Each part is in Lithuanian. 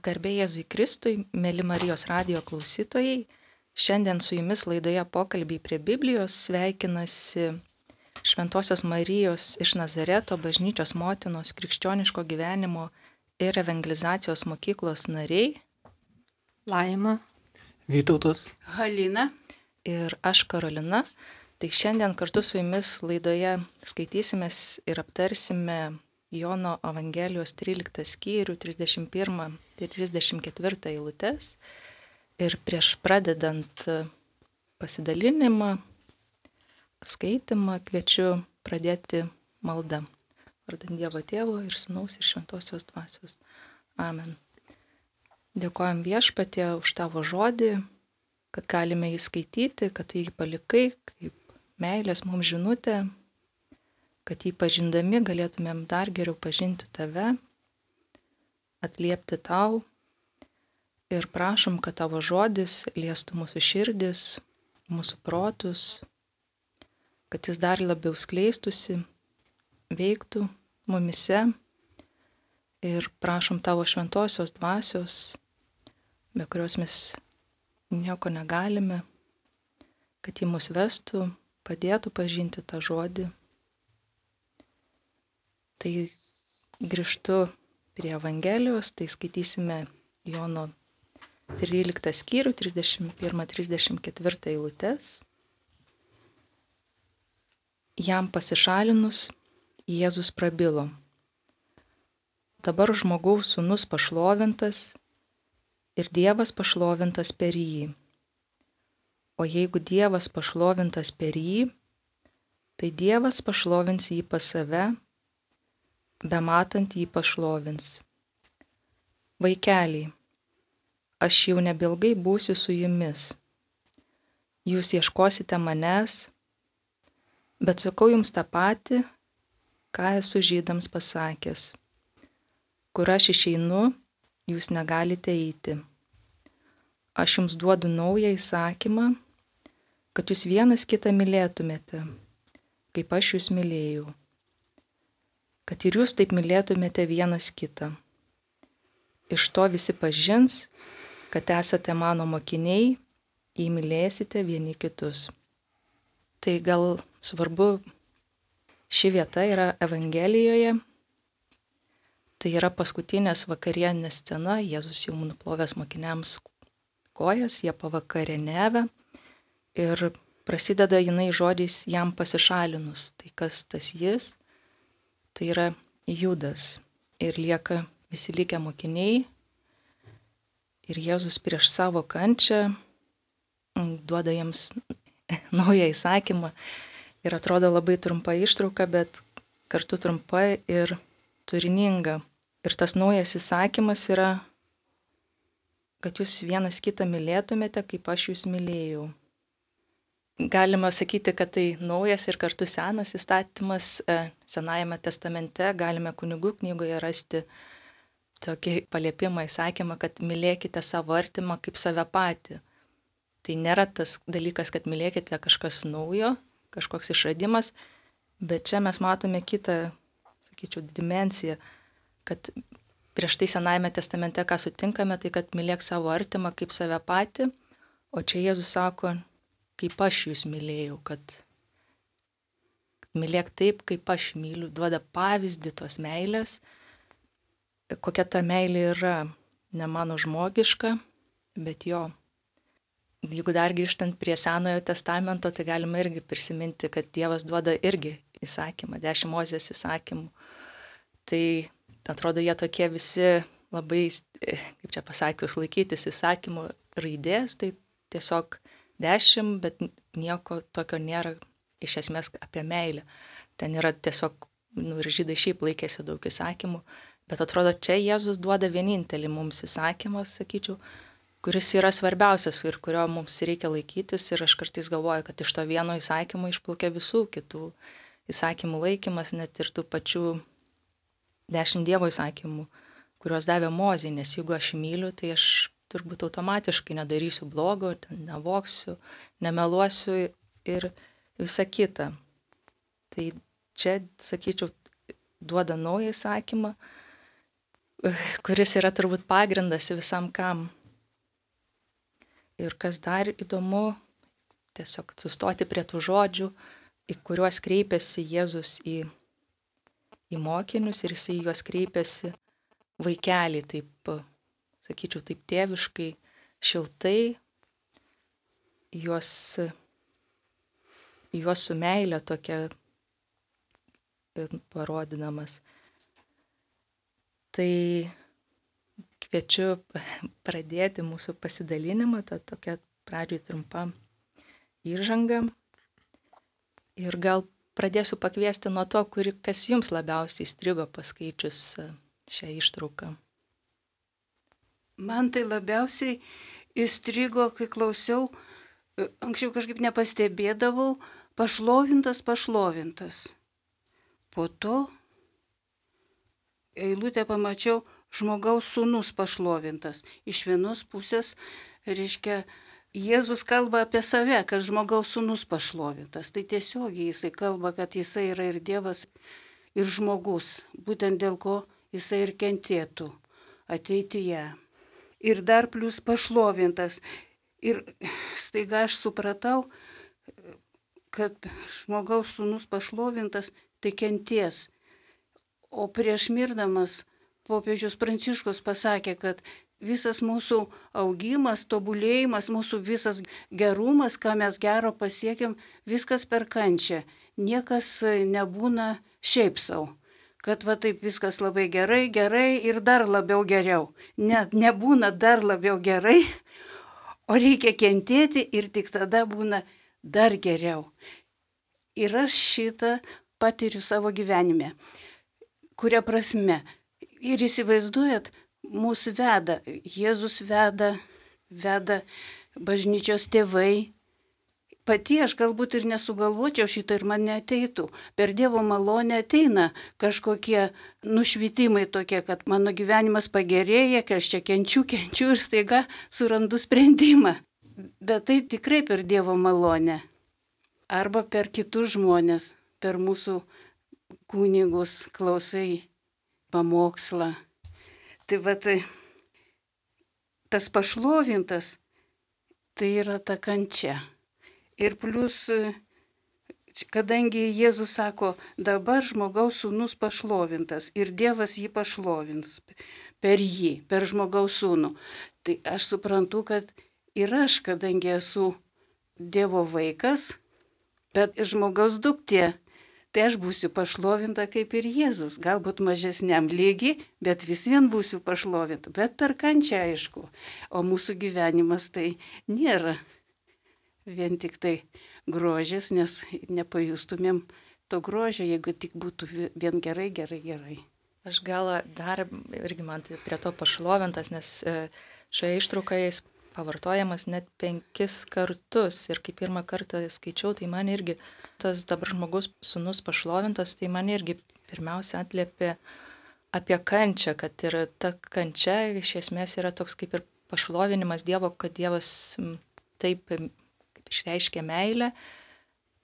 Garbė Jėzui Kristui, mėly Marijos radijo klausytojai, šiandien su jumis laidoje pokalbiai prie Biblijos sveikinasi Šventosios Marijos iš Nazareto bažnyčios motinos krikščioniško gyvenimo ir evangelizacijos mokyklos nariai Laima, Vytautas, Halina ir aš Karolina. Tai šiandien kartu su jumis laidoje skaitysimės ir aptarsime Jono Evangelijos 13 skyrių 31 ir 34 eilutes. Ir prieš pradedant pasidalinimą, skaitimą, kviečiu pradėti maldą. Vardant Dievo Tėvo ir Sūnaus ir Šventosios Dvasios. Amen. Dėkojam Viešpatie už tavo žodį, kad galime jį skaityti, kad tu jį palikai kaip meilės mums žinutė, kad jį pažindami galėtumėm dar geriau pažinti tave, atliepti tau ir prašom, kad tavo žodis liestų mūsų širdis, mūsų protus, kad jis dar labiau skleistusi, veiktų mumise ir prašom tavo šventosios dvasios, be kurios mes nieko negalime, kad jį mus vestų, padėtų pažinti tą žodį. Tai grįžtu prie Evangelijos, tai skaitysime Jono 13 skyrių, 31-34 eilutes. Jam pasišalinus, Jėzus prabilo. Dabar žmogaus sūnus pašlovintas ir Dievas pašlovintas per jį. O jeigu Dievas pašlovintas per jį, tai Dievas pašlovins jį pas save, bematant jį pašlovins. Vaikeliai, aš jau nebeilgai būsiu su jumis. Jūs ieškosite manęs, bet sakau jums tą patį, ką esu žydams pasakęs. Kur aš išeinu, jūs negalite eiti. Aš jums duodu naują įsakymą, kad jūs vienas kitą mylėtumėte, kaip aš jūs mylėjau. Kad ir jūs taip mylėtumėte vienas kitą. Iš to visi pažins, kad esate mano mokiniai, jei mylėsite vieni kitus. Tai gal svarbu, ši vieta yra Evangelijoje. Tai yra paskutinės vakarienės scena, Jėzus jau nuplovęs mokiniams kojas, jie pavakarieniavę ir prasideda jinai žodžiais jam pasišalinus. Tai kas tas jis? Tai yra Judas ir lieka visi likę mokiniai ir Jėzus prieš savo kančią duoda jiems naują įsakymą ir atrodo labai trumpa ištrauka, bet kartu trumpa ir turininga. Ir tas naujas įsakymas yra, kad jūs vienas kitą mylėtumėte, kaip aš jūs mylėjau. Galima sakyti, kad tai naujas ir kartu senas įstatymas. Senajame testamente galime kunigų knygoje rasti tokį paliepimą, įsakymą, kad mylėkite savo artimą kaip save patį. Tai nėra tas dalykas, kad mylėkite kažkas naujo, kažkoks išradimas, bet čia mes matome kitą, sakyčiau, dimensiją, kad prieš tai Senajame testamente, ką sutinkame, tai kad mylėk savo artimą kaip save patį, o čia Jėzus sako, kaip aš jūs mylėjau, kad mylėk taip, kaip aš myliu, duoda pavyzdį tos meilės, kokia ta meilė yra, ne mano žmogiška, bet jo. Jeigu dar grįžtant prie Senojo testamento, tai galima irgi prisiminti, kad Dievas duoda irgi įsakymą, 10 Mozės įsakymų. Tai atrodo, jie tokie visi labai, kaip čia pasakius, laikytis įsakymų raidės, tai tiesiog 10, bet nieko tokio nėra iš esmės apie meilę. Ten yra tiesiog, ir žydai šiaip laikėsi daug įsakymų, bet atrodo, čia Jėzus duoda vienintelį mums įsakymą, sakyčiau, kuris yra svarbiausias ir kurio mums reikia laikytis. Ir aš kartais galvoju, kad iš to vieno įsakymo išplaukia visų kitų įsakymų laikymas, net ir tų pačių 10 Dievo įsakymų, kuriuos davė Mozei, nes jeigu aš myliu, tai aš turbūt automatiškai nedarysiu blogo, nevoksiu, nemeluosiu ir visa kita. Tai čia, sakyčiau, duoda naują įsakymą kuris yra turbūt pagrindas visam kam. Ir kas dar įdomu, tiesiog sustoti prie tų žodžių, į kuriuos kreipiasi Jėzus į mokinius ir jisai juos kreipiasi vaikelį, taip, sakyčiau, taip tėviškai, šiltai, juos su meile tokia parodydamas. Tai kviečiu pradėti mūsų pasidalinimą, tą tokią pradžioj trumpą įžangą. Ir gal pradėsiu pakviesti nuo to, kas jums labiausiai įstrigo paskaičius šią ištrauką. Man tai labiausiai įstrigo, kai klausiau, anksčiau kažkaip nepastebėdavau, pašlovintas. Po to eilutę pamačiau, žmogaus sūnus pašlovintas. Iš vienos pusės, reiškia, Jėzus kalba apie save, kad žmogaus sūnus pašlovintas. Tai tiesiogiai jisai kalba, kad jisai yra ir Dievas, ir žmogus, būtent dėl ko jisai ir kentėtų ateityje. Ir dar plus pašlovintas. Ir staiga aš supratau, kad žmogaus sūnus pašlovintas, tai kenties. O prieš mirdamas popiežius Pranciškus pasakė, kad visas mūsų augimas, tobulėjimas, mūsų visas gerumas, ką mes gero pasiekėm, viskas per kančią. Niekas nebūna šiaip savo. Kad va taip viskas labai gerai ir dar labiau geriau. Nebūna dar labiau gerai, o reikia kentėti ir tik tada būna dar geriau. Ir aš šitą patiriu savo gyvenime. Kuria prasme? Ir įsivaizduojat, mūsų veda, Jėzus veda bažnyčios tėvai. Pati aš galbūt ir nesugalvočiau šitą ir man neateitų. Per Dievo malonę ateina kažkokie nušvitimai tokie, kad mano gyvenimas pagerėja, kad aš čia kenčiu ir staiga surandu sprendimą. Bet tai tikrai per Dievo malonę. Arba per kitus žmonės, per mūsų kunigus klausai pamokslą. Tai va tai tas pašlovintas, tai yra ta kančia. Ir plus, kadangi Jėzus sako, dabar žmogaus sūnus pašlovintas ir Dievas jį pašlovins per jį, per žmogaus sūnų. Tai aš suprantu, kad ir aš, kadangi esu Dievo vaikas, bet žmogaus duktė, tai aš būsiu pašlovinta kaip ir Jėzus, galbūt mažesniam lygiai, bet vis vien būsiu pašlovinta, bet per kančią aišku. O mūsų gyvenimas tai nėra vien tik tai grožis, nes nepajustumėm to grožio, jeigu tik būtų vien gerai. Aš gal dar irgi man tai prie to pašlovintas, nes šioje ištraukoje jis pavartojamas net 5 kartus ir kai pirmą kartą skaičiau, tai man irgi tas dabar žmogus sūnus pašlovintas, tai man irgi pirmiausia atliepė apie kančią, kad ir ta kančia iš esmės yra toks kaip ir pašlovinimas Dievo, kad Dievas taip išreiškia meilę,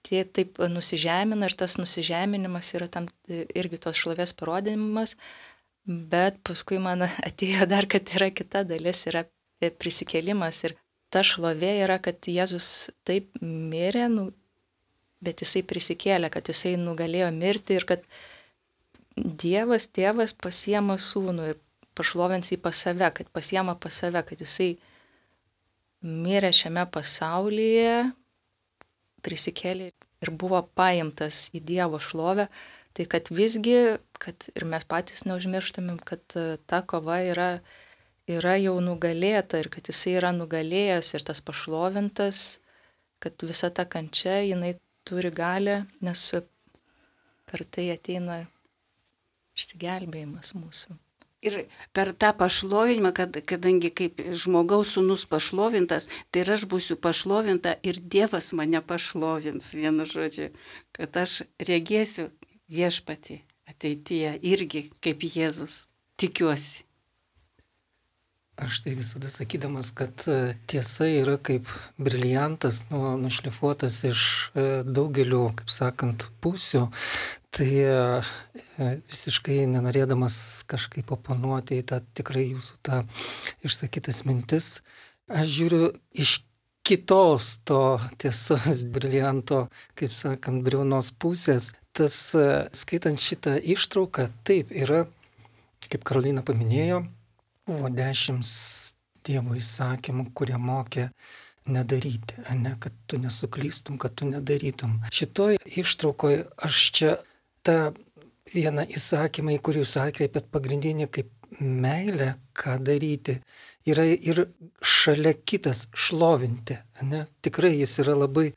tie taip nusižemina ir tas nusižeminimas yra tam irgi tos šlovės parodymas, bet paskui man atėjo dar, kad yra kita dalis, yra prisikėlimas ir ta šlovė yra, kad Jėzus taip mirė, bet jisai prisikėlė, kad jisai nugalėjo mirti ir kad Dievas, tėvas pasiema sūnų ir pašlovins jį pas save, kad pasiema pas save, kad jisai mirė šiame pasaulyje, prisikėlė ir buvo paimtas į Dievo šlovę, tai kad visgi, kad ir mes patys neužmirštumėm, kad ta kova yra jau nugalėta ir kad jisai yra nugalėjęs ir tas pašlovintas, kad visa ta kančia, jinai turi galią, nes per tai ateina išsigelbėjimas mūsų. Ir per tą pašlovinimą, kadangi kaip žmogaus sūnus pašlovintas, tai ir aš būsiu pašlovinta ir Dievas mane pašlovins, vienu žodžiu, kad aš regėsiu viešpatį ateityje irgi kaip Jėzus, tikiuosi. Aš tai visada sakydamas, kad tiesa yra kaip briliantas, nušlifuotas iš daugelio, kaip sakant, pusių, Tai visiškai nenorėdamas kažkaip oponuoti į tą tikrai jūsų tą išsakytas mintis, aš žiūriu iš kitos to tiesos brilianto, kaip sakant, briaunos pusės. Tas skaitant šitą ištrauką, taip yra, kaip Karolina paminėjo, buvo 10 Dievo įsakymų, kurie mokė nedaryti, ne, kad tu nesuklystum, kad tu nedarytum. Šitoj ištraukoje aš čia tą vieną įsakymą, į kurį jūs atkreipėt pagrindinį kaip meilę, ką daryti, yra ir šalia kitas šlovinti. Ne? Tikrai jis yra labai,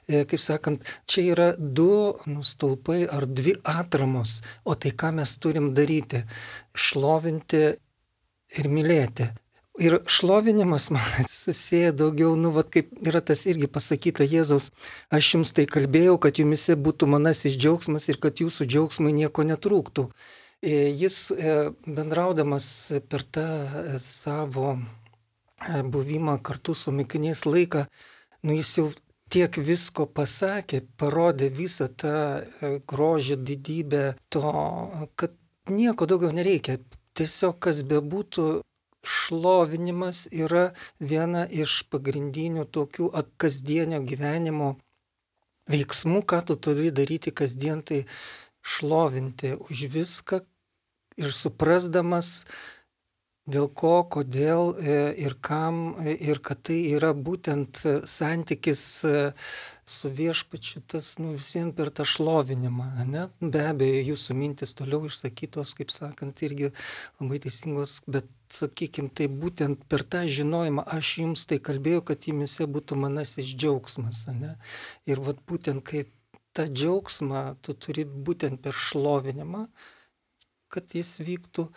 kaip sakant, čia yra 2 stulpai ar 2 atramos, o tai ką mes turim daryti? Šlovinti ir mylėti. Ir šlovinimas man susiję daugiau, kaip yra tas irgi pasakyta Jėzaus, aš jums tai kalbėjau, kad jumise būtų manasis džiaugsmas ir kad jūsų džiaugsmai nieko netrūktų. Jis bendraudamas per tą savo buvimą kartu su mokiniais laiką, jis jau tiek visko pasakė, parodė visą tą grožį, didybę to, kad nieko daugiau nereikia. Tiesiog kas bebūtų, šlovinimas yra viena iš pagrindinių tokių kasdienio gyvenimo veiksmų, ką tu turi daryti kasdien, tai šlovinti už viską ir suprasdamas, dėl ko, kodėl ir kam, ir kad tai yra būtent santykis su viešpačiu, tas visiems per tą šlovinimą. Ne? Be abejo, jūsų mintis toliau išsakytos, kaip sakant, irgi labai teisingos, bet sakykime, tai būtent per tą žinojimą, aš jums tai kalbėjau, kad jumise būtų manasis džiaugsmas. Ne? Ir vat būtent, kai tą džiaugsmą tu turi būtent per šlovinimą, kad jis vyktų.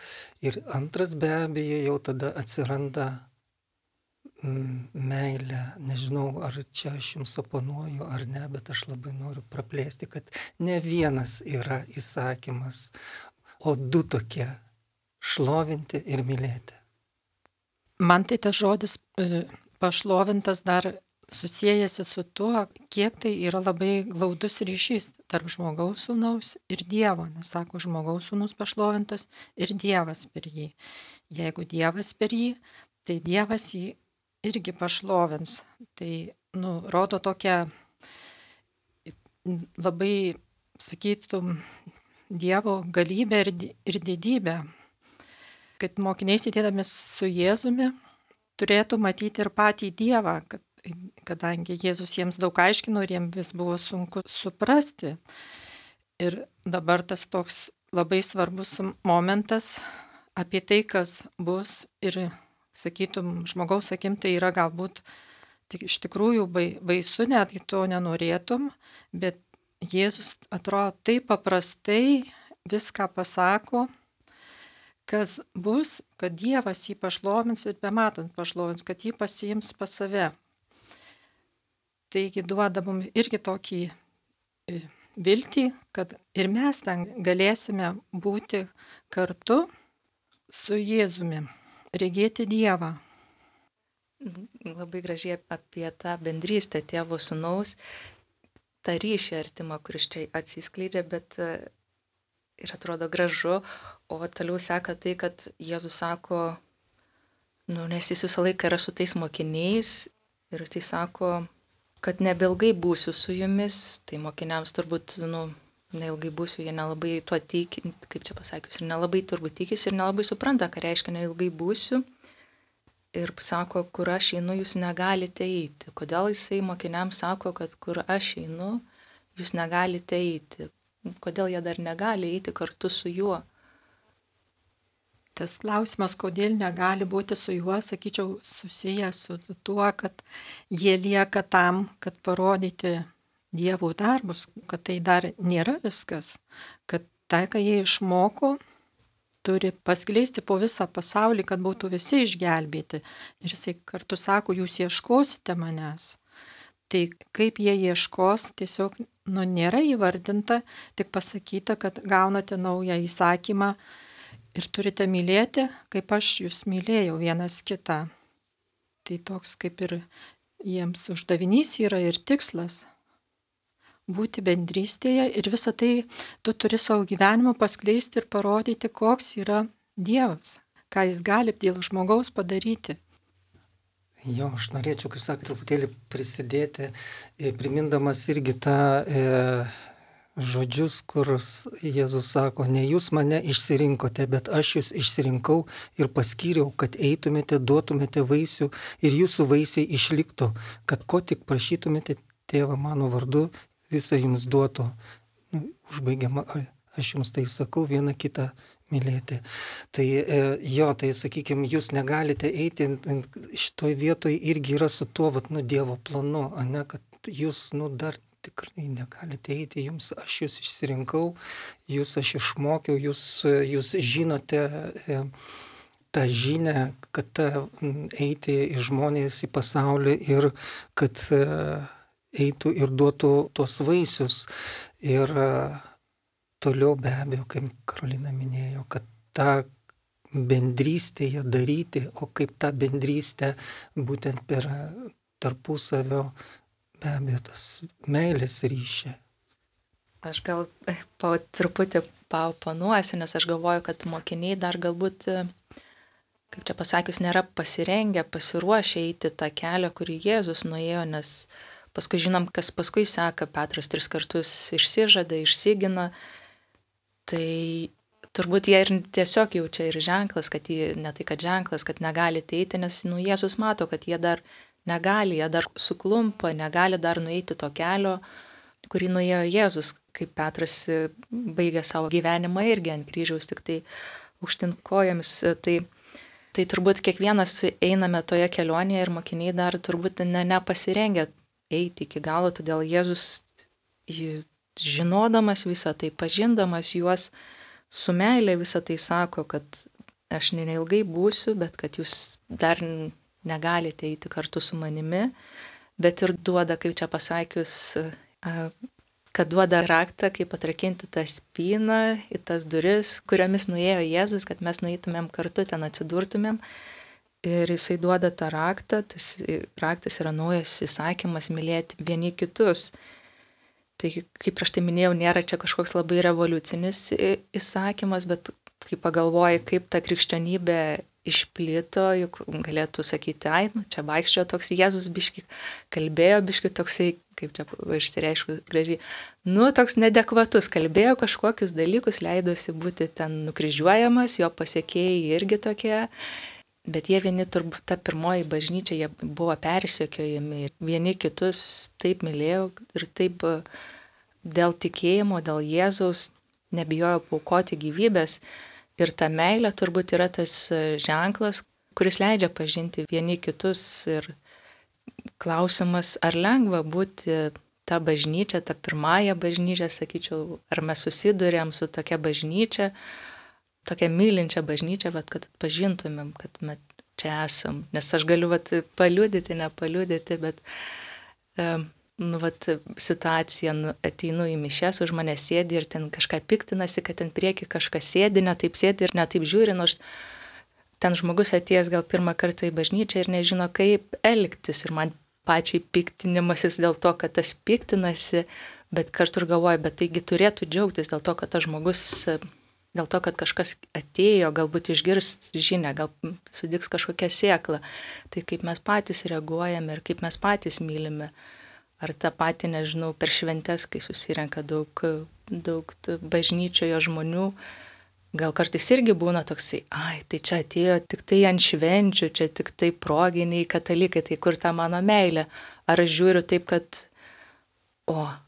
Ir antras be abejo jau tada atsiranda meilė. Nežinau, ar čia aš jums oponuoju ar ne, bet aš labai noriu praplėsti, kad ne vienas yra įsakymas, o 2 tokie - šlovinti ir mylėti. Man tai tas žodis pašlovintas dar susijęsi su tuo, kiek tai yra labai glaudus ryšys tarp žmogaus sūnaus ir Dievo. Nes sako, žmogaus sūnus pašlovintas ir Dievas per jį. Jeigu Dievas per jį, tai Dievas jį irgi pašlovins. Tai rodo tokią labai, sakytum, Dievo galybę ir didybę. Kad mokiniai sėdėdami su Jėzumi turėtų matyti ir patį Dievą, kadangi Jėzus jiems daug aiškino ir jiems vis buvo sunku suprasti. Ir dabar tas toks labai svarbus momentas apie tai, kas bus ir, sakytum, žmogaus akim tai yra galbūt iš tikrųjų baisu, netgi to nenorėtum, bet Jėzus atrodo taip paprastai viską pasako, kas bus, kad Dievas jį pašlovins ir bematant pašlovins, kad jį pasiims pas save. Taigi duoda mums irgi tokį viltį, kad ir mes ten galėsime būti kartu su Jėzumi, regėti Dievą. Labai gražiai apie tą bendrystę tėvo sūnaus, tą ryšį artimą, kuris čia atsiskleidžia, bet ir atrodo gražu, o toliau seka tai, kad Jėzus sako, nes jis visą laiką yra su tais mokiniais ir tai sako, kad nebeilgai būsiu su jumis, tai mokiniams turbūt, neilgai būsiu, jie nelabai tuo tiki, kaip čia pasakius, ir nelabai turbūt tikisi ir nelabai supranta, ką reiškia neilgai būsiu. Ir sako, kur aš einu, jūs negalite eiti. Kodėl jisai mokiniams sako, kad kur aš einu, jūs negalite eiti. Kodėl jie dar negali eiti kartu su juo? Tas klausimas, kodėl negali būti su juo, sakyčiau, susijęs su tuo, kad jie lieka tam, kad parodyti Dievo darbus, kad tai dar nėra viskas, kad tai, ką jie išmoko, turi paskleisti po visą pasaulį, kad būtų visi išgelbėti. Ir jisai kartu sako, jūs ieškosite manęs. Tai kaip jie ieškos, tiesiog nėra įvardinta, tik pasakyta, kad gaunate naują įsakymą, ir turite mylėti, kaip aš jūs mylėjau vienas kitą. Tai toks kaip ir jiems uždavinys yra ir tikslas. būti bendrystėje ir visą tai tu turi savo gyvenimu paskleisti ir parodyti, koks yra Dievas, ką jis gali dėl žmogaus padaryti. Jo, aš norėčiau, kaip sakė, truputėlį prisidėti, primindamas irgi tą žodžius, kur Jėzus sako, ne jūs mane išsirinkote, bet aš jūs išsirinkau ir paskyriau, kad eitumėte, duotumėte vaisių ir jūsų vaisiai išliktų, kad ko tik prašytumėte tėvą mano vardu, visą jums duotų. Užbaigiama, aš jums tai sakau, vieną kitą mylėti. Tai jo, tai sakykime, jūs negalite eiti, šitoj vietoj irgi yra su tuo, Dievo planu, ne, kad jūs, dar tikrai negalite eiti, jums aš jūs išsirinkau, jūs aš išmokiau, jūs žinote tą žinią, kad eiti į žmonės, į pasaulį ir kad eitų ir duotų tuos vaisius. Ir toliau be abejo, kaip Karolina minėjo, kad tą bendrystėje daryti, o kaip tą bendrystę būtent per tarpusavio be abejo tas meilės ryšį. Aš gal po truputį paoponuosiu, nes aš galvoju, kad mokiniai dar galbūt, kaip čia pasakius, nėra pasirengę, pasiruošę eiti tą kelią, kurį Jėzus nuėjo, nes paskui žinom, kas paskui seka, Petras 3 kartus išsižada, išsigina, tai turbūt jie ir tiesiog jaučia ir ženklas, kad jie, ne tai kad ženklas, kad negali eiti, nes Jėzus mato, kad jie dar negali, jie dar suklumpa, negali dar nueiti to kelio, kurį nuėjo Jėzus, kaip Petras baigė savo gyvenimą irgi ant kryžiaus, tik tai aukštyn kojomis. Tai turbūt kiekvienas einame toje kelionėje ir mokiniai dar turbūt nepasirengę eiti iki galo, todėl Jėzus, žinodamas visą tai, pažindamas juos su meilė visą tai sako, kad aš neilgai būsiu, bet kad jūs dar negalite eiti kartu su manimi, bet ir duoda, kaip čia pasakius, kad duoda raktą, kaip atrakinti tą spyną į tas duris, kuriomis nuėjo Jėzus, kad mes nueitumėm kartu, ten atsidurtumėm. Ir jisai duoda tą raktą, tas raktas yra naujas įsakymas mylėti vieni kitus. Tai, kaip prieš tai minėjau, nėra čia kažkoks labai revoliucinis įsakymas, bet kai pagalvoji, kaip ta krikščionybė išplito, juk galėtų sakyti, čia vaikščiojo toks Jėzus biški, kalbėjo biški toksai, kaip čia išsireiškiu gražiai, toks nedekvatus, kalbėjo kažkokius dalykus, leidosi būti ten nukryžiuojamas, jo pasiekėjai irgi tokie, bet jie vieni, turbūt ta pirmoji bažnyčia, jie buvo persekiojami ir vieni kitus taip mylėjo ir taip dėl tikėjimo, dėl Jėzaus nebijojo paaukoti gyvybės. Ir ta meilė turbūt yra tas ženklas, kuris leidžia pažinti vieni kitus. Ir klausimas, ar lengva būti ta bažnyčia, ta pirmąja bažnyčia, sakyčiau, ar mes susidurėm su tokia bažnyčia, tokia mylinčia bažnyčia, bet kad pažintumėm, kad mes čia esam. Nes aš galiu paliudyti, nepaliudyti, bet situacija, ateinu į mišias, už mane sėdi ir ten kažką piktinasi, kad ten prieki kažkas sėdi, ne taip sėdi ir ne taip žiūri, nors ten žmogus atėjęs gal pirmą kartą į bažnyčią ir nežino, kaip elgtis. Ir man pačiai piktinimasis dėl to, kad tas piktinasi, bet kartu ir galvoju, bet taigi turėtų džiaugtis dėl to, kad tas žmogus, dėl to, kad kažkas atėjo, galbūt išgirs žinią, gal sudiks kažkokią sėklą. Tai kaip mes patys reaguojame ir kaip mes patys mylime. Ar tą patį, nežinau, per šventes, kai susirenka daug bažnyčioje žmonių, gal kartais irgi būna toksai, tai čia atėjo tik tai ant švenčių, čia tik tai proginiai katalikai, tai kur ta mano meilė? Ar aš žiūriu taip, kad,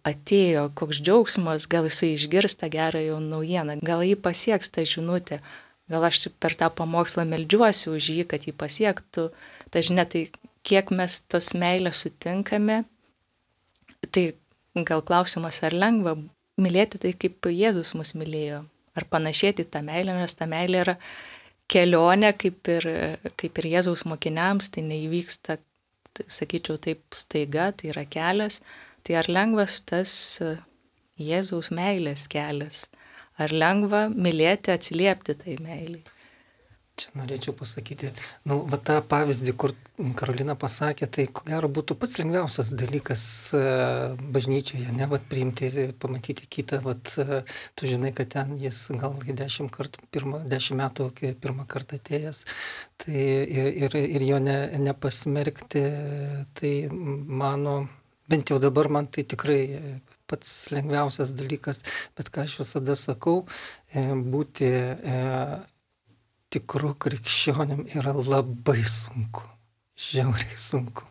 atėjo koks džiaugsmas, gal jisai išgirs tą gerąją naujieną, gal jį pasieks tą žinutę, gal aš per tą pamokslą meldžiuosi už jį, kad jį pasiektų. Ta žinia, tai kiek mes tos meilės sutinkame, tai gal klausimas, ar lengva mylėti tai, kaip Jėzus mus mylėjo, ar panašėti tą meilę, nes ta meilė yra kelionė, kaip ir Jėzaus mokiniams, tai neįvyksta, sakyčiau, taip staiga, tai yra kelias, tai ar lengvas tas Jėzaus meilės kelias, ar lengva mylėti, atsiliepti tai meiliai? Čia norėčiau pasakyti, va tą pavyzdį, kur Karolina pasakė, tai ko gero būtų pats lengviausias dalykas bažnyčioje, ne, vat priimti, pamatyti kitą, vat tu žinai, kad ten jis gal 10 metų pirmą kartą atėjęs, tai ir jo nepasmerkti, tai mano, bent jau dabar man tai tikrai pats lengviausias dalykas, bet ką aš visada sakau, būti tikrų krikščionim yra labai sunku, žiauriai sunku.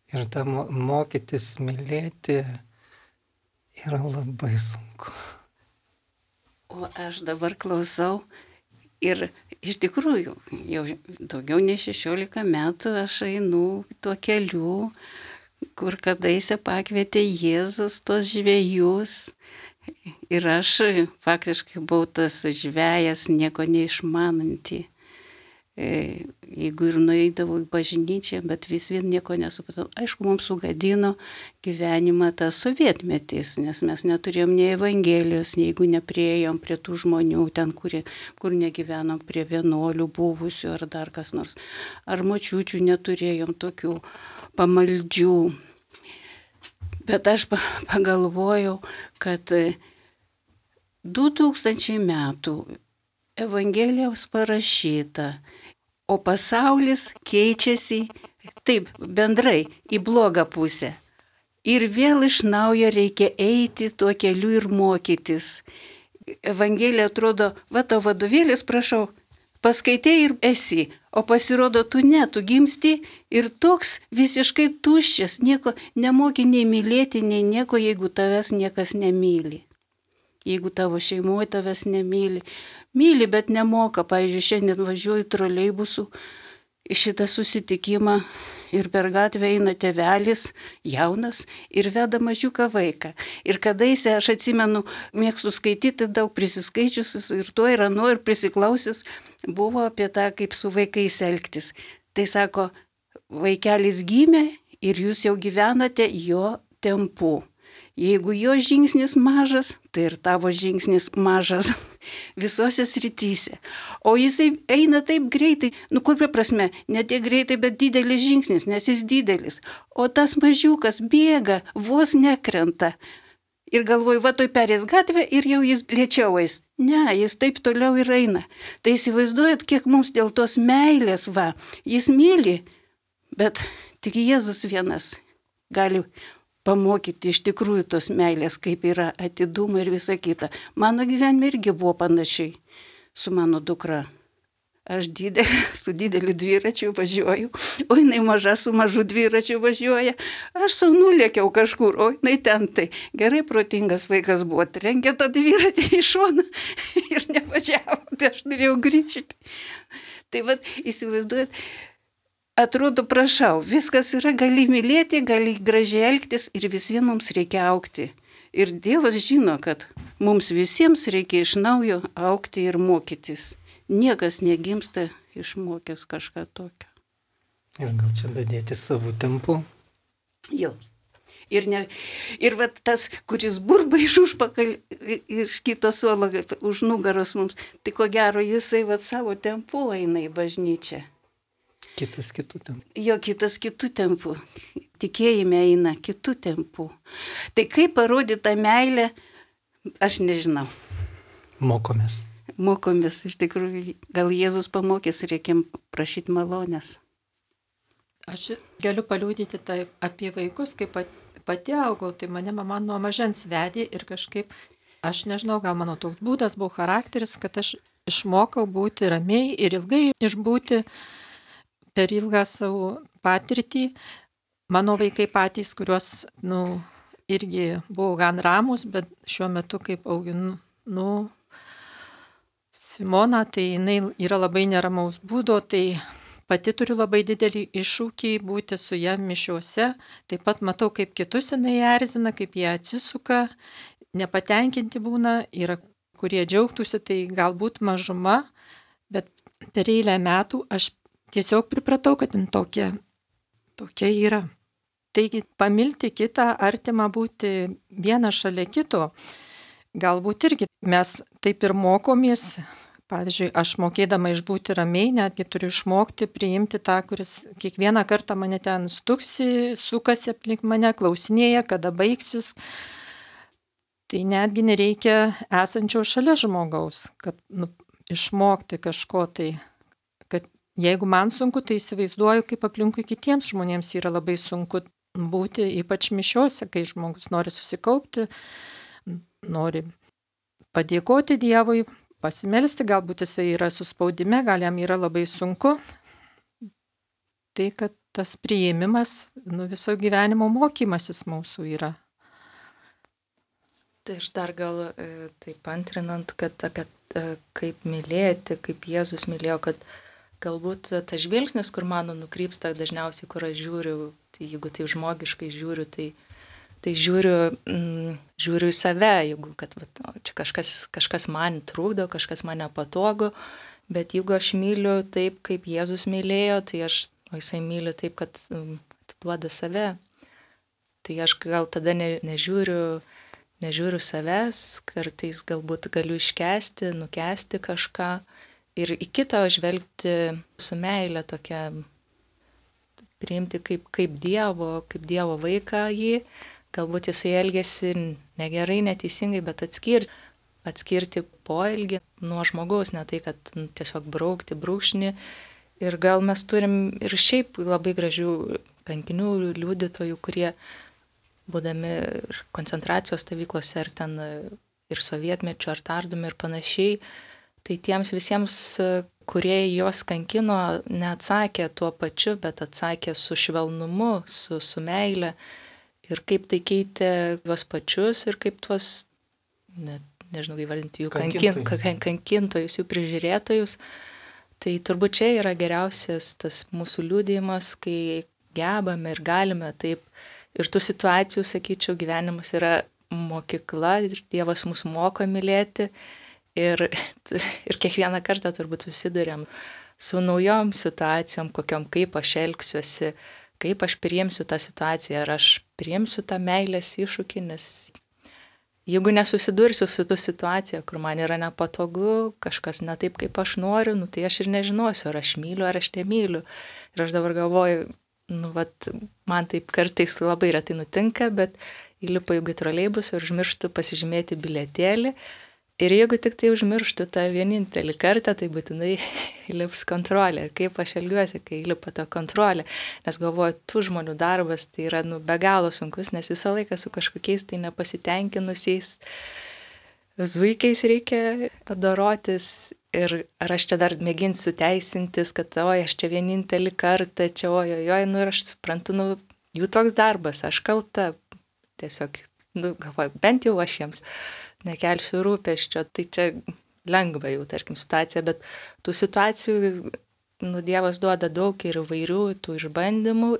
Ir tą mokytis mylėti yra labai sunku. O aš dabar klausau ir iš tikrųjų jau daugiau nei 16 metų aš einu tuo keliu, kur kadaise pakvietė Jėzus tos žvejus. Ir aš faktiškai buvau tas žvejas, nieko neišmananti. Jeigu ir nueidavau į bažnyčią, bet vis vien nieko nesupratau. Aišku, mums sugadino gyvenimą tas sovietmetis, nes mes neturėjom nei Evangelijos, jeigu nepriejom prie tų žmonių ten, kur negyvenom, prie vienuolių buvusių ar dar kas nors. Ar močiučių neturėjom tokių pamaldžių. Bet aš pagalvojau, kad 2000 metų Evangelijos parašyta, o pasaulis keičiasi taip bendrai į blogą pusę. Ir vėl iš naujo reikia eiti tuo keliu ir mokytis. Evangelija atrodo, va tavo vadovėlis, prašau, paskaitai ir esi, o pasirodo tu gimsti ir toks visiškai tuščias, nieko nemoki nei mylėti, nei nieko, jeigu tavęs niekas nemyli. Jeigu tavo šeimoje tavęs nemyli. Myli, bet nemoka. Pavyzdžiui, šiandien važiuoju troleibusu į šitą susitikimą ir per gatvę eina tėvelis, jaunas, ir veda mažiuką vaiką. Ir kadaise, aš atsimenu, mėgstu skaityti daug prisiskaičiusis ir tuo ir anu ir prisiklausius, buvo apie tą, kaip su vaikais elgtis. Tai sako, vaikelis gimė ir jūs jau gyvenate jo tempu. Jeigu jo žingsnis mažas, tai ir tavo žingsnis mažas visose srityse. O jisai eina taip greitai, kokia prasme, ne tiek greitai, bet didelis žingsnis, nes jis didelis. O tas mažiukas bėga, vos nekrenta. Ir galvoju, va toj perės gatvę ir jau jis lėčiau eis. Ne, jis taip toliau ir eina. Tai įsivaizduojat, kiek mums dėl tos meilės, jis myli, bet tik Jėzus vienas gali pamokyti iš tikrųjų tos meilės, kaip yra atidumą ir visa kita. Mano gyvenime irgi buvo panašiai su mano dukra. Aš su dideliu dviračiu važiuoju, o jinai maža su mažu dviračiu važiuoja. Aš sau nulėkiau kažkur, o jinai ten tai. Gerai protingas vaikas buvo, trenkė tą dviratį į šoną ir nevažiavo, tai aš norėjau grįžti. Tai vat, įsivaizduojat, atrodo, prašau, viskas yra, gali mylėti, gali gražiai elgtis ir vis vien mums reikia augti. Ir Dievas žino, kad mums visiems reikia iš naujo augti ir mokytis. Niekas negimsta išmokęs kažką tokio. Ir gal čia bedėti savo tempu. Jo. Ir va tas, kuris burba iš kito suolo, už nugaros mums, tai ko gero jisai va savo tempu eina į bažnyčią. Kitas kitų tempų. Jo, kitas kitų tempų. Tikėjime eina kitų tempų. Tai kaip parodyti tą meilę, aš nežinau. Mokomės. Mokomės, iš tikrųjų, gal Jėzus pamokys, reikia prašyti malonės. Aš galiu paliūdyti tai apie vaikus, kaip pati augau, tai mane mama nuo mažens vedė ir kažkaip, aš nežinau, gal mano toks būdas buvo charakteris, kad aš išmokau būti ramiai ir ilgai išbūti per ilgą savo patirtį. Mano vaikai patys, kuriuos, irgi buvo gan ramus, bet šiuo metu, kaip auginu, Simona, tai jinai yra labai neramaus būdo, tai pati turiu labai didelį iššūkį būti su ją mišiuose. Taip pat matau, kaip kitus jinai erzina, kaip jie atsisuka, nepatenkinti būna, yra kurie džiaugtųsi, tai galbūt mažuma, bet per eilę metų aš tiesiog pripratau, kad jin tokia yra. Taigi pamilti kitą, artimą būti vieną šalia kito, galbūt irgi mes taip ir mokomės Pavyzdžiui, aš mokėdama išbūti ramiai, netgi turiu išmokti priimti tą, kuris kiekvieną kartą mane ten stuksi, sukasi aplink mane, klausinėja, kada baigsis. Tai netgi nereikia esančio šalia žmogaus, kad išmokti kažko tai, kad jeigu man sunku, tai įsivaizduoju, kaip aplinkui kitiems žmonėms yra labai sunku būti, ypač mišiose, kai žmogus nori susikaupti, nori padėkoti Dievui, pasimelsti, galbūt jisai yra suspaudime, gal jam yra labai sunku. Tai, kad tas priėmimas, viso gyvenimo mokymasis mūsų yra. Tai aš dar gal taip antrinant, kad apie kaip mylėti, kaip Jėzus mylėjo, kad galbūt tas žvilgsnis, kur mano nukrypsta dažniausiai, kur aš žiūriu, tai jeigu tai žmogiškai žiūriu, tai žiūriu į save, jeigu kad čia kažkas man trukdo, kažkas man nepatogu, bet jeigu aš myliu taip, kaip Jėzus mylėjo, tai jisai myli taip, kad atiduoda save. Tai aš gal tada nežiūriu savęs, kartais galbūt galiu iškęsti, nukęsti kažką ir į kitą žvelgti su meile tokia, priimti kaip Dievo vaiką jį. Galbūt jisai elgėsi negerai, neteisingai, bet atskirti poelgį nuo žmogaus, ne tai, kad tiesiog braukti brūkšnį. Ir gal mes turim ir šiaip labai gražių kankinių liudytojų, kurie būdami koncentracijos stovyklose ar ten ir sovietmečio, ar tardomi ir panašiai, tai tiems visiems, kurie juos kankino, neatsakė tuo pačiu, bet atsakė su švelnumu, su meile. Ir kaip tai keitė juos pačius ir kaip tuos, nežinau, įvardinti jų kankintojus, jų prižiūrėtojus. Tai turbūt čia yra geriausias tas mūsų liudijimas, kai gebame ir galime taip. Ir tų situacijų, sakyčiau, gyvenimas yra mokykla ir Dievas mus moko mylėti. Ir kiekvieną kartą turbūt susiduriam su naujom situacijom, kokiom kaip aš elgsiuosi, kaip aš priimsiu tą situaciją, ar aš priimsiu tą meilės iššūkį, nes jeigu nesusidursiu su tą situaciją, kur man yra nepatogu, kažkas ne taip, kaip aš noriu, tai aš ir nežinosiu, ar aš myliu, ar aš nemyliu. Ir aš dabar galvoju, man taip kartais labai retai nutinka, bet įlipu į troleibusą ir užmirštu pasižymėti bilietėlį. Ir jeigu tik tai užmirštu tą vienintelį kartą, tai būtinai įlips kontrolė. Ir kaip aš elgiuosi, kai įlipa ta kontrolė. Nes galvoju, tų žmonių darbas tai yra be galo sunkus, nes visą laiką su kažkokiais tai nepasitenkinusiais zuikiais reikia dorotis. Ir ar aš čia dar mėginsiu teisintis, kad aš čia vienintelį kartą, čia ir aš suprantu, jų toks darbas, aš kalta. Tiesiog, galvoju, bent jau aš jiems nekelsiu rūpesčio, tai čia lengva jau, tarkim, situacija, bet tų situacijų, Dievas duoda daug ir įvairių tų išbandymų,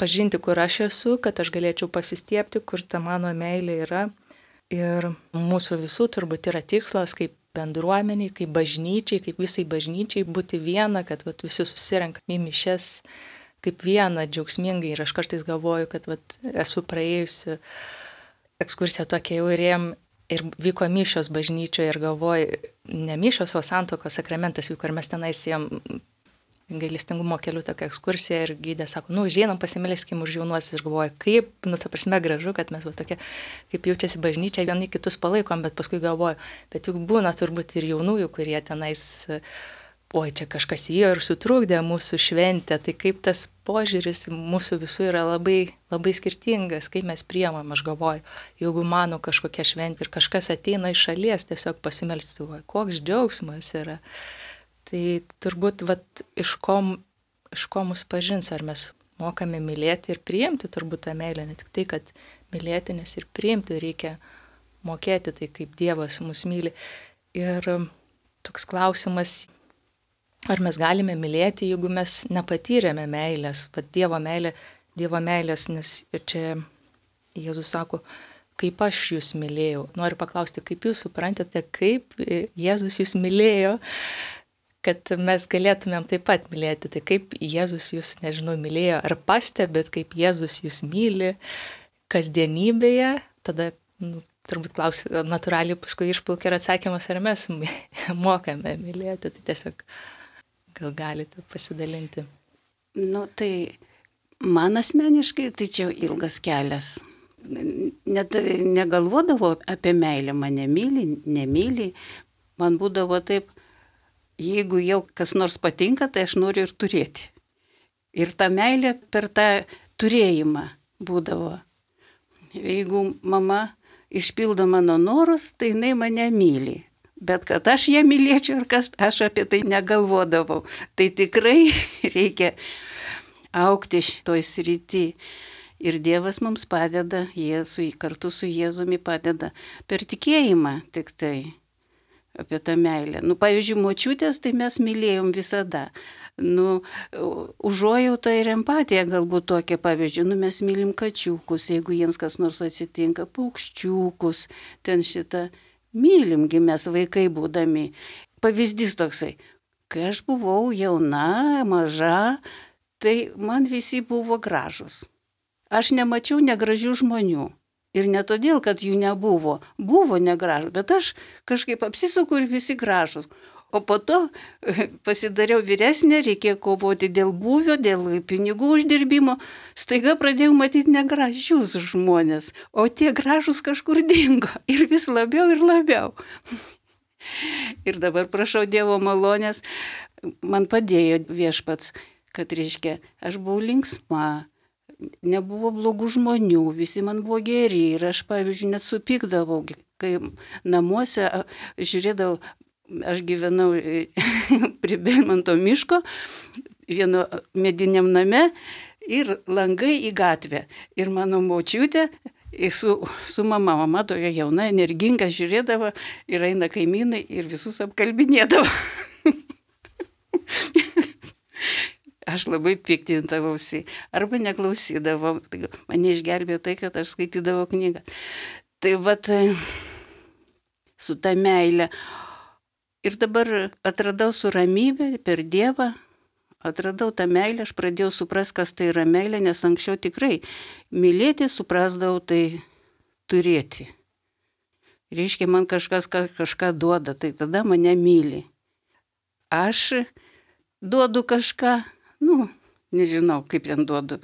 pažinti, kur aš esu, kad aš galėčiau pasistiepti, kur ta mano meilė yra. Ir mūsų visų turbūt yra tikslas, kaip bendruomeniai, kaip bažnyčiai, kaip visai bažnyčiai būti viena, kad visi susirenkame į mišias kaip viena, džiaugsmingai. Ir aš kartais galvoju, kad esu praėjusi ekskursiją tokia jau ir vyko mišios bažnyčioje ir galvoju, ne mišios, o santuokos sakramentas vyko ir mes tenais ėjom gailestingumo keliu tokią ekskursiją ir gydė sako, užeinam pasimelskim už jaunuosius. Ir galvoju, kaip, ta prasme gražu, kad mes tokie, kaip jaučiasi bažnyčia, vieni kitus palaikom, bet paskui galvoju, bet juk būna turbūt ir jaunųjų, kurie tenais, čia kažkas įėjo ir sutrukdė mūsų šventę, tai kaip tas požiūris mūsų visų yra labai, labai skirtingas, kaip mes priemam, aš galvoju, jeigu mano kažkokia šventė ir kažkas ateina iš šalies, tiesiog pasimelsti, koks džiaugsmas yra. Tai turbūt iš ko mus pažins, ar mes mokame mylėti ir priimti turbūt tą meilę, ne tik tai, kad mylėti, nes ir priimti reikia mokėti tai, kaip Dievas mus myli. Ir toks klausimas, ar mes galime mylėti, jeigu mes nepatyrėme meilės, Dievo meilės, nes čia Jėzus sako, kaip aš jūs mylėjau. Noriu paklausti, kaip jūs suprantate, kaip Jėzus jūs mylėjo, kad mes galėtumėm taip pat mylėti. Tai kaip Jėzus jūs, mylėjo, ar pastebėt, kaip Jėzus jūs myli kasdienybėje, tada turbūt klausiu, natūraliai paskui išplaukia ir atsakymas, ar mes mokame mylėti, tai tiesiog gal galite pasidalinti. Nu, tai man asmeniškai tai čia ilgas kelias. Net negalvodavau apie meilę, mane myli, nemyli. Man būdavo taip, jeigu jau kas nors patinka, tai aš noriu ir turėti. Ir ta meilė per tą turėjimą būdavo. Ir jeigu mama išpildo mano norus, tai jinai mane myli. Bet kad aš ją mylėčiau ir kas, aš apie tai negalvodavau. Tai tikrai reikia augti šitoj srity. Ir Dievas mums padeda, kartu su Jėzumi padeda per tikėjimą tik tai apie tą meilę. Nu, pavyzdžiui, močiutės, tai mes mylėjom visada. Nu, užuojauta ir empatija galbūt tokia, pavyzdžiui, nu, mes mylim kačiukus, jeigu jiems kas nors atsitinka, paukščiukus, ten šitą. Mylimgi mes vaikai būdami. Pavyzdys toksai, kai aš buvau jauna, maža, tai man visi buvo gražus. Aš nemačiau negražių žmonių. Ir ne todėl, kad jų nebuvo. Buvo negražų, bet aš kažkaip apsisuku ir visi gražus. O po to pasidariau vyresnė, reikėjo kovoti dėl būvio, dėl pinigų uždirbimo. Staiga pradėjau matyti negražius žmonės, o tie gražus kažkur dingo. Ir vis labiau ir labiau. Ir dabar prašau Dievo malonės, man padėjo Viešpats, kad reiškia, aš buvau linksma, nebuvo blogų žmonių, visi man buvo geri. Ir aš, pavyzdžiui, net supykdavau, kai namuose žiūrėdavau, aš gyvenau prie Belmonto miško, vieno mediniam name ir langai į gatvę. Ir mano močiutė su mama tokia jauna, energinga žiūrėdavo ir eina kaimynai ir visus apkalbinėdavo. Aš labai piktindavausi arba neklausydavau. Mane išgelbėjo tai, kad aš skaitydavau knygą. Tai vat su ta meilė. Ir dabar atradau su ramybė per Dievą, atradau tą meilę, aš pradėjau suprasti, kas tai yra meilė, nes anksčiau tikrai mylėti suprasdavau tai turėti. Reiškia, man kažkas kažką duoda, tai tada mane myli. Aš duodu kažką, nežinau, kaip ten duodu.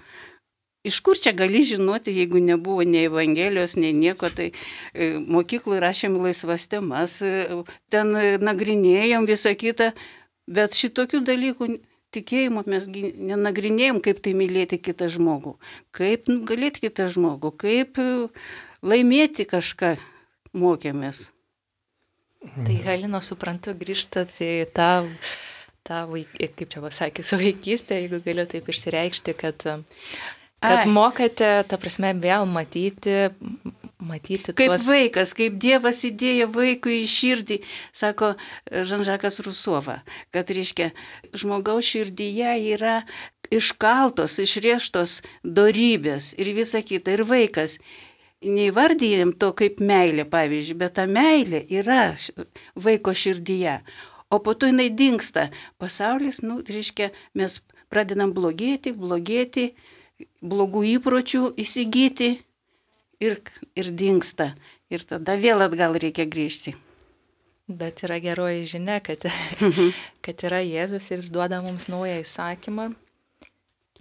Iš kur čia gali žinoti, jeigu nebuvo nei Evangelijos, nei nieko, tai mokyklui rašėm laisvas temas, ten nagrinėjom visą kitą, bet šitokių dalykų tikėjimo mes nenagrinėjom, kaip tai mylėti kitą žmogų, kaip galėti kitą žmogų, kaip laimėti kažką mokėmės. Tai Halina, suprantu, grįžtat į tą kaip čia pasakysiu, vaikystę, jeigu galiu taip išsireikšti, kad mokate, ta prasme, vėl matyti kaip tuos... vaikas, kaip Dievas įdėjo vaikui į širdį, sako Žan-Žakas Rusova, kad reiškia, žmogaus širdyje yra iškaltos, išrieštos dorybės ir visa kita. Ir vaikas, neįvardyjam to kaip meilė, pavyzdžiui, bet ta meilė yra vaiko širdyje. O po to jinai dingsta. Pasaulis, reiškia, mes pradedam blogėti, blogų įpročių įsigyti ir dingsta. Ir tada vėl atgal reikia grįžti. Bet yra geroji žinia, kad yra Jėzus ir jis duoda mums naują įsakymą.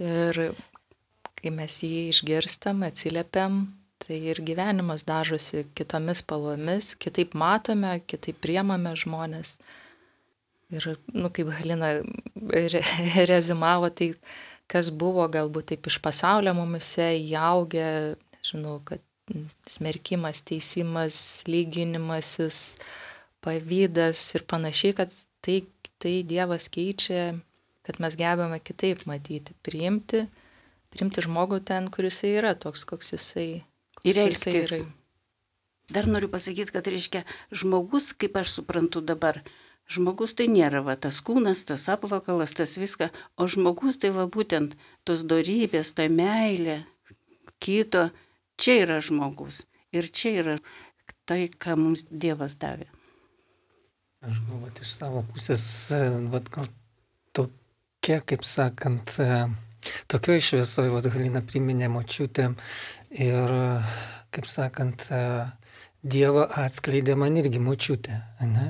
Ir kai mes jį išgirstam, atsiliepiam, tai ir gyvenimas dažosi kitomis spalvomis, kitaip matome, kitaip priemame žmonės. Ir, kaip Halina rezumavo, tai kas buvo galbūt taip iš pasaulio mumise įaugę, nežinau, kad smerkimas, teisimas, lyginimasis, pavydas ir panašiai, kad tai Dievas keičia, kad mes gebame kitaip matyti, priimti žmogų ten, kur jisai yra, toks, koks jisai ir elgtis. Dar noriu pasakyti, kad reiškia žmogus, kaip aš suprantu dabar, žmogus tai nėra tas kūnas, tas apvakalas, tas viską, o žmogus tai būtent tos dorybės, ta meilė, kito, čia yra žmogus. Ir čia yra tai, ką mums Dievas davė. Aš galvoju, iš savo pusės, gal tokia, kaip sakant, tokioje šviesoje, Halina priminė močiutę ir, kaip sakant, Dievą atskleidė man irgi močiutė, ne?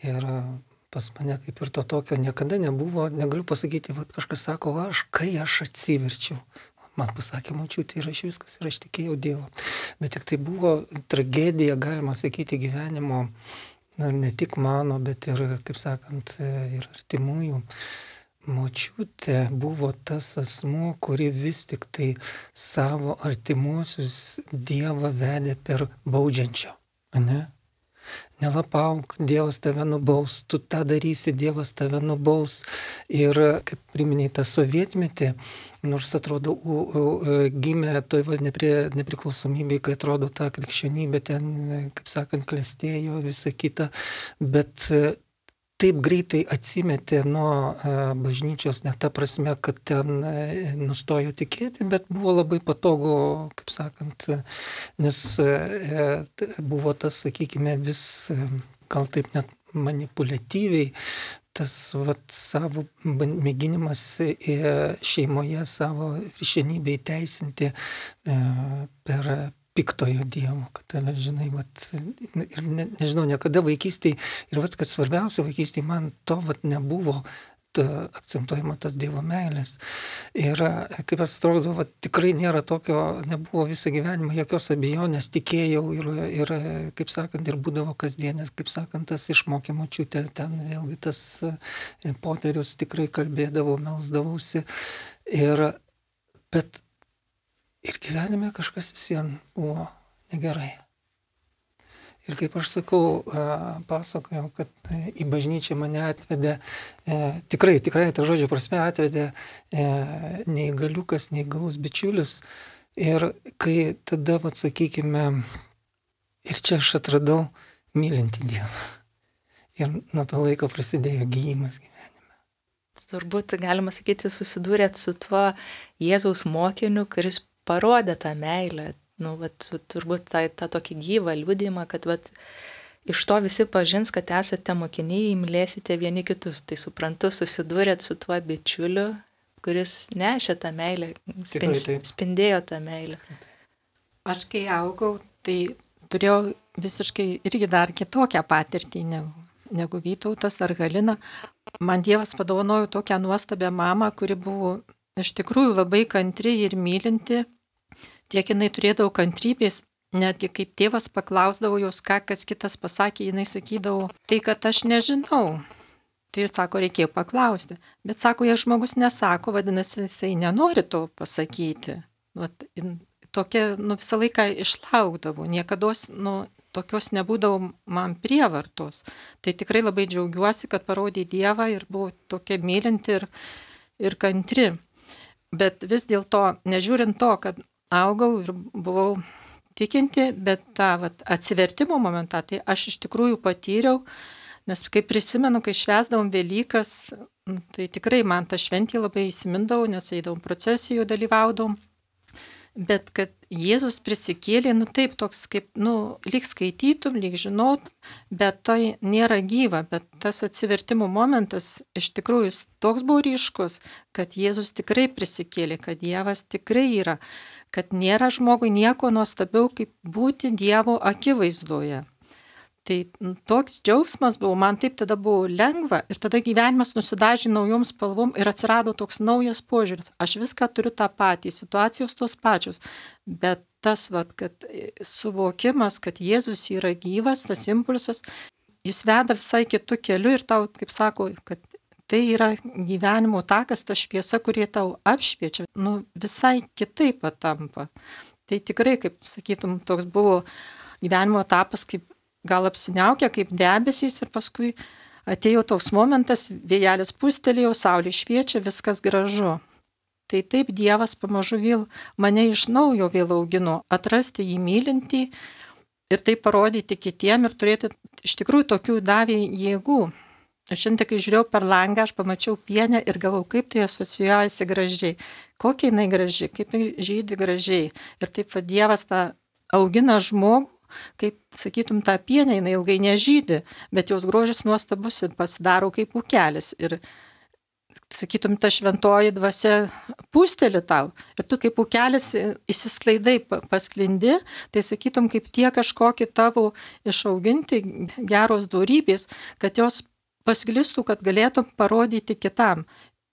Ir pas mane kaip ir to tokio niekada nebuvo, negaliu pasakyti, va, kažkas sako, kai aš atsiverčiau. Man pasakė močiutė ir aš viskas, ir aš tikėjau Dievą. Bet tik tai buvo tragedija, galima sakyti, gyvenimo, ne tik mano, bet ir, kaip sakant, ir artimųjų. Močiutė buvo tas asmuo, kuri vis tik tai savo artimuosius Dievą vedė per baudžiančio, ne? Nelapauk, Dievas tave nubaus, tu tą darysi, Dievas tave nubaus. Ir kaip priminėjai tą sovietmetį, nors atrodo gimė toj nepriklausomybėje, kai atrodo ta krikščionybė ten, kaip sakant, klestėjo visą kitą, bet taip greitai atsimetė nuo bažnyčios, ne ta prasme, kad ten nustojo tikėti, bet buvo labai patogu, kaip sakant, nes buvo tas, sakykime, vis gal taip net manipuliatyviai, tas savo mėginimas šeimoje savo viršenybę įteisinti per piktojo Dievo, kad, žinai, ir nežinau, niekada vaikystėje, ir kad svarbiausia vaikystėje man to nebuvo akcentuojama tas Dievo meilės. Ir kaip atrodo, tikrai nėra tokio, nebuvo visą gyvenimą jokios abejonės, tikėjau ir kaip sakant, ir būdavo kasdienės, kaip sakant, tas išmokė močiutė, ten vėlgi tas poterius tikrai kalbėdavau, melsdavausi. Bet ir gyvenime kažkas vis vien buvo negerai. Ir kaip aš sakau, pasakojau, kad į bažnyčią mane atvedė, tikrai tą žodžio prasme atvedė neįgaliukas, neįgalus bičiulis. Ir kai tada, sakykime, ir čia aš atradau mylintį Dievą. Ir nuo to laiko prasidėjo gijimas gyvenime. Turbūt, galima sakyti, susidūrėt su tuo Jėzaus mokiniu, kuris parodė tą meilę, turbūt tą tokį gyvą liudijimą, kad iš to visi pažins, kad esate mokiniai, mylėsite vieni kitus. Tai suprantu, susidūrėt su tuo bičiuliu, kuris nešė tą meilę, spindėjo tą meilę. Aš kai augau, tai turėjau visiškai irgi dar kitokią patirtį negu Vytautas ar Halina. Man Dievas padovanojo tokią nuostabią mamą, kuri buvo iš tikrųjų labai kantri ir mylinti. Tiek jinai turėdavo kantrybės, netgi kaip tėvas paklausdavo jos, ką kas kitas pasakė, jinai sakydavo, tai kad aš nežinau. Tai ir sako, reikėjo paklausti. Bet sako, jei žmogus nesako, vadinasi, jisai nenori to pasakyti. Tokia, visą laiką išlaukdavo, niekados, tokios nebūdavo man prievartos. Tai tikrai labai džiaugiuosi, kad parodė Dievą ir buvo tokia mylinti ir kantri. Bet vis dėlto, nežiūrint to, kad augau ir buvau tikinti, bet tą atsivertimo momentą, tai aš iš tikrųjų patyriau, nes kai prisimenu, kai švęsdavom Velykas, tai tikrai man ta šventė labai įsimindavo, nes eidavom procesijų, dalyvaudavom, bet kad Jėzus prisikėlė, taip toks kaip, lyg skaitytum, lyg žinotum, bet tai nėra gyva, bet tas atsivertimo momentas iš tikrųjų toks buvo ryškus, kad Jėzus tikrai prisikėlė, kad Dievas tikrai yra, kad nėra žmogui nieko nuostabiau, kaip būti Dievo akivaizdoje. Tai toks džiaugsmas buvo, man taip tada buvo lengva ir tada gyvenimas nusidažė naujom spalvom ir atsirado toks naujas požiūris. Aš viską turiu tą patį, situacijos tos pačios, bet tas, kad suvokimas, kad Jėzus yra gyvas, tas impulsas, jis veda visai kitų kelių ir tau, kaip sako, kad tai yra gyvenimo takas, ta šviesa, kurie tau apšviečia, visai kitaip patampa. Tai tikrai, kaip sakytum, toks buvo gyvenimo etapas, kaip gal apsiniaukia kaip debesys ir paskui atėjo toks momentas, vėjelis pustelėjo, saulė šviečia, viskas gražu. Tai taip Dievas pamažu vėl mane iš naujo vėl augino, atrasti jį mylintį ir tai parodyti kitiem ir turėti iš tikrųjų tokių davė jėgų. Aš šiandien, kai žiūrėjau per langą, aš pamačiau pienę ir galvau, kaip tai asocijuojasi gražiai, kokia jinai graži, kaip žydi gražiai. Ir taip Dievas tą augina žmogų, kaip, sakytum, tą pienę, jinai ilgai nežydi, bet jos grožis nuostabus ir pasidaro kaip ūkelis. Ir, sakytum, ta šventoji dvasia pūsteli tau ir tu kaip ukelis įsisklaidai, pasklindi, tai sakytum, kaip tie kažkokie tavo išauginti geros dorybės, kad jos pasklistų, kad galėtum parodyti kitam.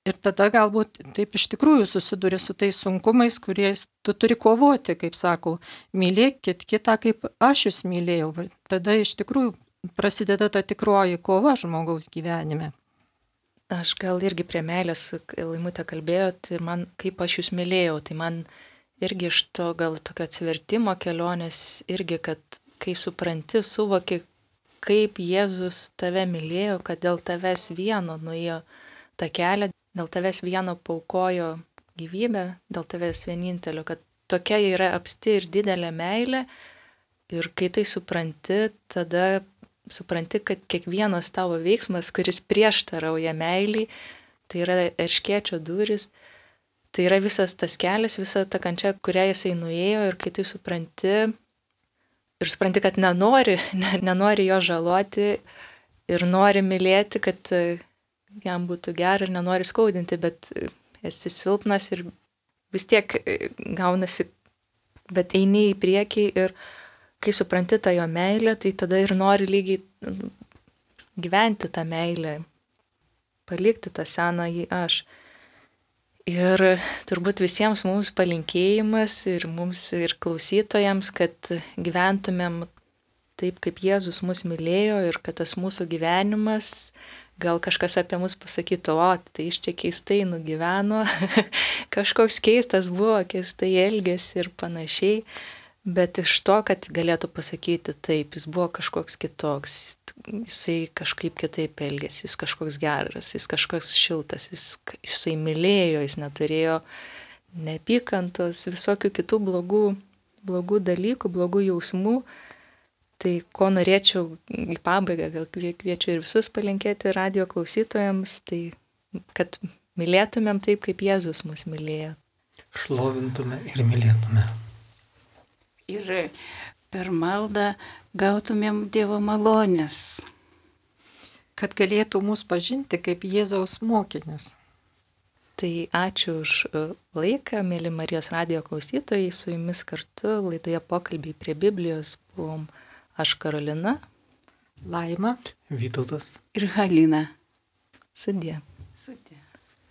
Ir tada galbūt taip iš tikrųjų susiduri su tais sunkumais, kuriais tu turi kovoti, kaip sako, mylėkit kitą, kaip aš jūs mylėjau. Tada iš tikrųjų prasideda ta tikroji kova žmogaus gyvenime. Aš gal irgi prie meilės, Laimutė kalbėjo, tai man, kaip aš jūs mylėjau, tai man irgi iš to gal tokio atsivertimo kelionės, irgi, kad kai supranti, suvoki, kaip Jėzus tave mylėjo, kad dėl tavęs vieno nuėjo tą kelią, dėl tavęs vieno paukojo gyvybę, dėl tavęs vienintelio, kad tokia yra apsti ir didelė meilė. Ir kai tai supranti, tada supranti, kad kiekvienas tavo veiksmas, kuris prieštarauja meiliai, tai yra erškėčio durys, tai yra visas tas kelias, visa ta kančia, kurią jisai nuėjo, ir kai tai supranti, kad nenori jo žaloti ir nori mylėti, kad jam būtų gera ir nenori skaudinti, bet esi silpnas ir vis tiek gaunasi, bet eini į priekį ir kai supranti tą jo meilę, tai tada ir nori lygiai gyventi tą meilę, palikti tą senąjį aš. Ir turbūt visiems mums palinkėjimas ir mums ir klausytojams, kad gyventumėm taip, kaip Jėzus mus mylėjo ir kad tas mūsų gyvenimas, gal kažkas apie mus pasakytų, o, tai iš čia keistai nugyveno, kažkoks keistas buvo, keistai elgėsi ir panašiai. Bet iš to, kad galėtų pasakyti taip, jis buvo kažkoks kitoks, jisai kažkaip kitaip elgėsi, jis kažkoks geras, jis kažkoks šiltas, jisai mylėjo, jis neturėjo neapykantos, visokių kitų blogų dalykų, blogų jausmų. Tai ko norėčiau į pabaigą, gal kviečiu ir visus palinkėti radijo klausytojams, tai kad mylėtumėm taip, kaip Jėzus mus mylėjo. Šlovintume ir mylėtume. Ir per maldą gautumėm Dievo malonės. Kad galėtų mus pažinti kaip Jėzaus mokinius. Tai ačiū už laiką, mėly Marijos radijo klausytojai, su jumis kartu laidoje Pokalbiai prie Biblijos buvom aš Karolina, Laima, Vytautas ir Halina. sudie. Sudie.